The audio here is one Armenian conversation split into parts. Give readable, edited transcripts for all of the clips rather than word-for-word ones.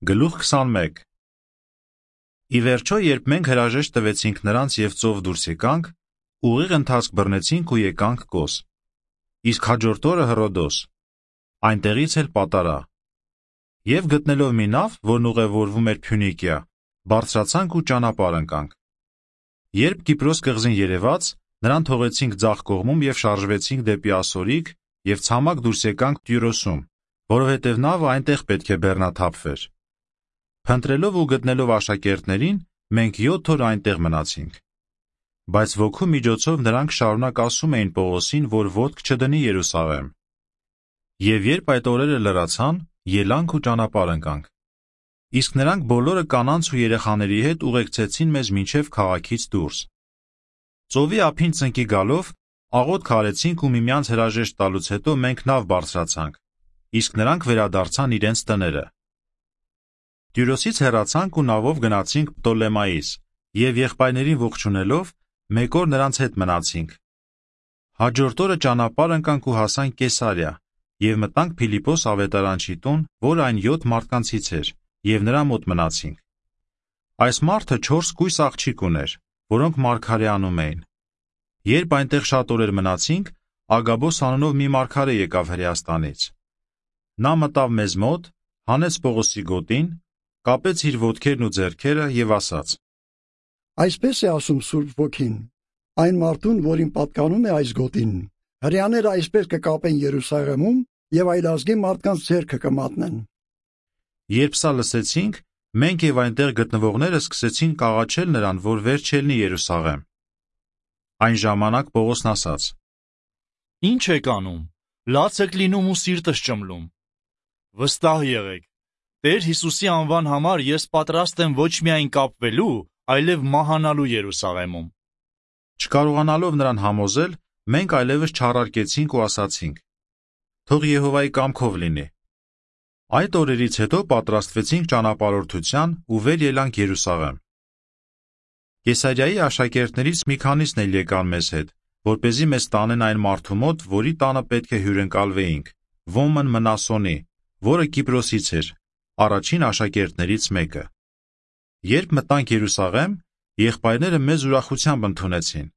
Գլուխ 21 Ի վերջո, երբ մենք հրաժեշտ տվեցինք նրանց և ծով դուրս եկանք, ուղիղ ընթացք բռնեցինք ու եկանք Կոս։ Իսկ հաջորդ օրը Հռոդոս, այնտեղից էլ Պատարա։ Եվ գտնելով մի նավ, որն ուղևորվում էր Փյունիկիա, բարձրացանք ու ճանապարհ ընկանք։ Երբ Կիպրոս կղզին երևաց, նրան թողեցինք ձախ կողմում և շարժվեցինք դեպի Ասորիկ և ցամաք դուրս եկանք Տյուրոսում, որովհետև նավը այնտեղ պետք է բեռնաթափվեր։ Փնտրելով ու գտնելով աշակերտներին, մենք 7 օր այնտեղ մնացինք։ Բայց ոգու միջոցով նրանք շարունակ ասում էին Պողոսին, որ ոտք չդնի Երուսաղեմ։ Եվ երբ այդ օրերը լրացան, ելանք ու ճանապարհ ընկանք։ Իսկ նրանք բոլորը կանանց ու երեխաների հետ ուղեկցեցին մեզ մինչև քաղաքից դուրս։ Ծովի ափին ծնկի գալով, աղոթք արեցինք ու միմյանց հրաժեշտ տալուց հետո մենք նավ բարձրացանք, իսկ նրանք վերադարձան իրենց տները։ Տյուրոսից հեռացանք ու նավով գնացինք Պտոլեմայիս և եղբայրներին ողջունելով մեկ օր նրանց հետ մնացինք։ Հաջորդ օրը ճանապարհ ընկանք ու հասանք Կեսարիա և մտանք Փիլիպպոս ավետարանչի տուն, որը այն 7 մարդկանցից էր, և նրա մոտ մնացինք։ Այս մարդը 4 կույս աղջիկ ուներ, որոնք մարգարե անում էին։ Երբ այնտեղ շատ օրեր մնացինք, Ագաբոս անունով մի մարգարե եկավ Հրեաստանից։ Նա մտավ մեզ մոտ, հանեց Պողոսի գոտին, կապեց իր ոտքերն ու ձեռքերը և ասաց. Այսպես է ասում Սուրբ Ոգին, այն մարդուն, որին պատկանում է այս գոտին, հրեաները այսպես կկապեն Երուսաղեմում և այլազգի մարդկանց ձեռքը կմատնեն։ Երբ սա լսեցինք, մենք և այնտեղ գտնվողները սկսեցին աղաչել նրան, որ վեր չելնի Երուսաղեմ։ Այն ժամանակ Պողոսն ասաց. Ինչ եք անում, լաց եք լինում ու սիրտս ճմլում։ Վստահ եղեք, Տեր Հիսուսի անվան համար ես պատրաստ եմ ոչ միայն կապվելու, այլև մահանալու Երուսաղեմում։ Չկարողանալով նրան համոզել, մենք այլևս չառարկեցինք ու ասացինք. թող Եհովայի կամքով լինի։ Այդ օրերից հետո պատրաստվեցինք ճանապարհորդության ու վեր ելանք Երուսաղեմ։ Կեսարիայի աշակերտներից մի քանիսն էլ եկան մեզ հետ, որպեսզի մեզ տանեն այն մարդու մոտ, որի տանը պետք է հյուրընկալվեինք, Ոմն Մնասոնի, որը Կիպրոսից էր, առաջին աշակերտներից մեկը։ Երբ մտանք Երուսաղեմ, եղբայրները մեզ ուրախությամբ ընդունեցին։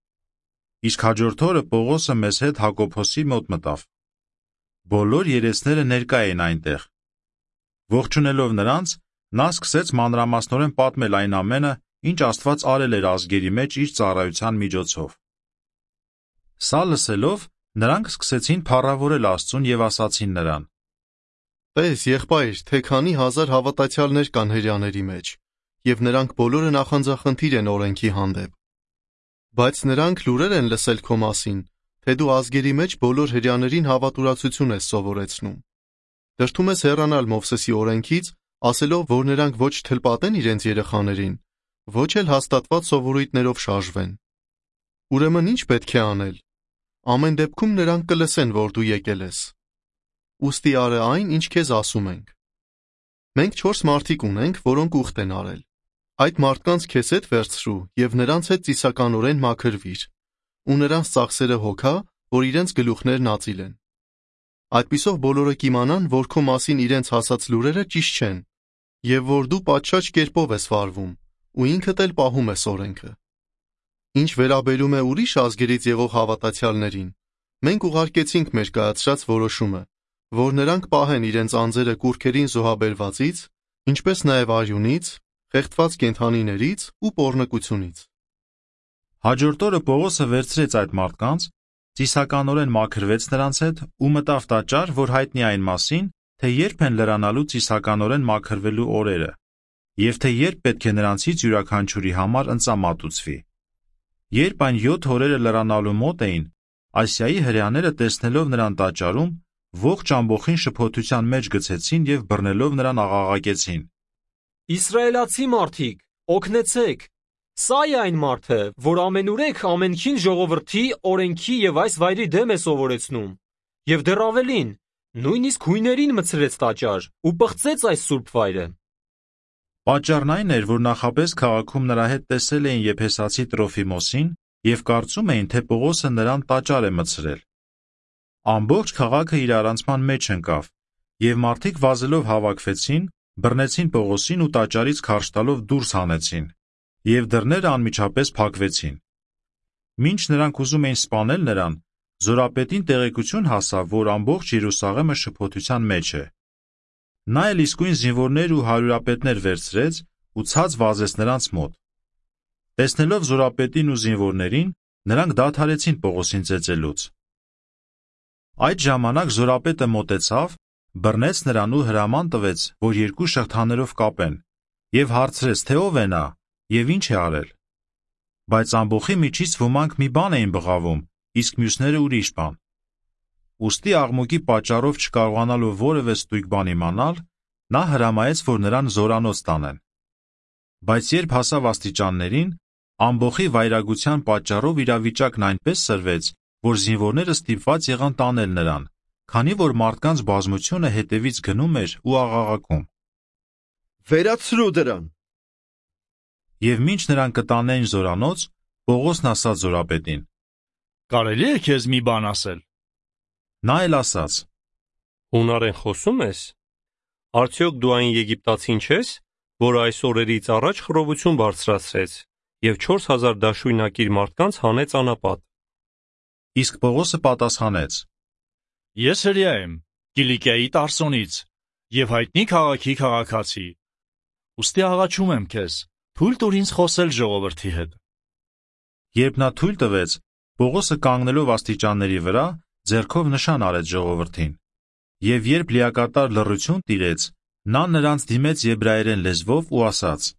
Իսկ հաջորդ օրը Պողոսը մեզ հետ Հակոբոսի մոտ մտավ։ Բոլոր երեցները ներկա էին այնտեղ։ Ողջունելով նրանց, նա սկսեց մանրամասնորեն պատմել այն ամենը, ինչ Աստված արել էր ազգերի մեջ իր ծառայության միջոցով։ Սա լսելով, նրանք սկսեցին փառավորել Աստծուն և ասացին նրան. Տես, եղբայր, թե քանի հազար հավատացյալներ կան հրեաների մեջ, և նրանք բոլորը նախանձախնդիր են օրենքի հանդեպ։ Բայց նրանք լուրեր են լսել քո մասին, թե դու ազգերի մեջ բոլոր հրեաներին հավատուրացություն ես սովորեցնում։ Դրդում ես հեռանալ Մովսեսի օրենքից, ասելով, որ նրանք ոչ թլպատեն իրենց երեխաներին, ոչ էլ հաստատված սովորույթներով շարժվեն։ Ուրեմն ինչ պետք է անել։ Ամեն դեպքում նրանք կլսեն, որ դու եկել ես։ Ուստի արը այն, ինչ քեզ ասում ենք։ Մենք 4 մարդիկ ունենք, որոնք ուխտ են արել։ Այդ մարդկանց քեզ հետ վերցրու և նրանց հետ ծիսականորեն մաքրվիր, ու նրանց ծախսերը հոգա, որ իրենց գլուխներն ածիլ են։ Այդպիսով բոլորը կիմանան, որ քո մասին իրենց հասած լուրերը ճիշտ չեն, և որ դու պատշաճ կերպով ես վարվում, ու ինքդ էլ պահում ես օրենքը։ Ինչ վերաբերում է ուրիշ ազգերից եղող հավատացյալներին, մենք ուղարկեցինք մեր կայացրած որոշումը, որ նրանք պահեն իրենց անձերը կուռքերին զոհաբերվածից, ինչպես նաև արյունից, խեղդված կենդանիներից ու պոռնկությունից։ Հաջորդ օրը Պողոսը վերցրեց այդ մարդկանց, ծիսականորեն մաքրվեց նրանց հետ ու մտավ տաճար, որ հայտնի այն մասին, թե երբ են լրանալու ծիսականորեն մաքրվելու օրերը, և թե երբ պետք է նրանցից յուրաքանչյուրի համար ընծա մատուցվի։ Երբ այն 7 օրերը լրանալու մոտ էին, Ասիայի հրեաները տեսնելով նրան տաճարում, ողջ ամբոխին շփոթության մեջ գցեցին և բռնելով նրան աղաղակեցին. Իսրայելացի մարդիկ, օգնեցեք, սա է այն մարդը, որ ամենուրեք ամենքին ժողովրդի, օրենքի և այս վայրի դեմ է սովորեցնում, և դեռ ավելին, նույնիսկ հույներին մտցրեց տաճար ու պղծեց այս սուրբ վայրը։ Պատճառն այն էր, որ նախապես քաղաքում նրա հետ տեսել էին Եփեսացի Տրոֆիմոսին և կարծում էին, թե Պողոսը նրան տաճար է մտցրել։ Ամբողջ քաղաքը իր առանցման մեջ ընկավ, և մարդիկ վազելով հավաքվեցին բռնեցին Պողոսին ու տաճարից քարշ տալով դուրս հանեցին, և դռները անմիջապես փակվեցին։ Մինչ նրանք ուզում էին սպանել նրան, զորապետին տեղեկություն հասավ, որ ամբողջ Երուսաղեմը շփոթության մեջ է։ Նա էլ իսկույն զինվորներ ու հարյուրապետներ վերցրեց ու ցած վազեց նրանց մոտ։ Տեսնելով զորապետին ու զինվորներին, նրանք դադարեցին Պողոսին ծեծելուց։ Այդ ժամանակ զորապետը մոտեցավ, բռնեց նրան ու հրաման տվեց, որ երկու շղթաներով կապեն, և հարցրեց, թե ով է նա և ինչ է արել։ Բայց ամբոխի միջից ոմանք մի բան էին բղավում, իսկ մյուսները ուրիշ բան։ Ուստի աղմուկի պատճառով չկարողանալով որևէ ստույգ բան իմանալ, նա հրամայեց, որ նրան զորանոց տանեն։ Բայց երբ հասավ աստիճաններին, ամբոխի վայրագության պատճառով իրավիճակն այնպես սրվեց, որ զինվորները ստիպված եղան տանել նրան, քանի որ մարդկանց բազմությունը հետևից գնում էր ու աղաղակում. Վերացրու դրան։ Եվ մինչ նրան կտանեին զորանոց, Պողոսն ասաց զորապետին. Կարելի է քեզ մի բան ասել։ Նա էլ ասաց. Հունարեն խոսում ես։ Արդյոք դու այն եգիպտացին չես, որ այս օրերից առաջ խռովություն բարձրացրեց և 4000 դաշույնակիր մարդկանց հանեց անապատ։ Իսկ Պողոսը պատասխանեց. Ես հրեա եմ, Կիլիկիայի Տարսոնից և հայտնի քաղաքի քաղաքացի։ Ուստի աղաչում եմ քեզ, թույլ տուր ինձ խոսել ժողովրդի հետ։ Երբ նա թույլ տվեց, Պողոսը կանգնելով աստիճանների վրա, ձեռքով նշան արեց ժողովրդին։ Եվ երբ լիակատար լռություն տիրեց, նա նրանց դիմեց եբրայերեն լեզվով ու ասաց.